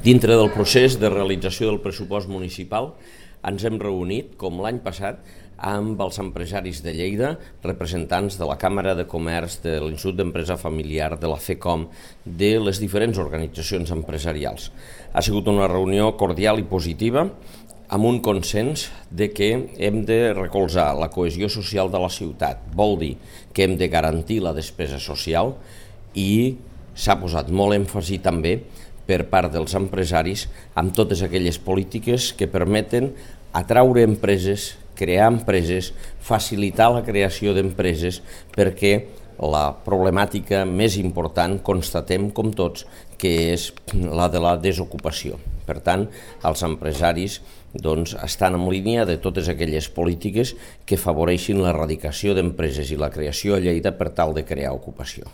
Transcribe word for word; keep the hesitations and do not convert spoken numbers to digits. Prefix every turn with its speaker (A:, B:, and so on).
A: Dintre del procés de realització del pressupost municipal ens hem reunit, com l'any passat, amb els empresaris de Lleida, representants de la Càmera de Comerç, de l'Institut d'Empresa Familiar, de la FECOM, de les diferents organitzacions empresarials. Ha sigut una reunió cordial i positiva, amb un consens de que hem de recolzar la cohesió social de la ciutat. Vol dir que hem de garantir la despesa social i s'ha posat molt èmfasi també per part dels empresaris amb totes aquelles polítiques que permeten atraure empreses, crear empreses, facilitar la creació d'empreses, perquè la problemàtica més important constatem com tots que és la de la desocupació. Per tant, els empresaris doncs, estan en línia de totes aquelles polítiques que afavoreixin l'erradicació d'empreses i la creació a Lleida per tal de crear ocupació.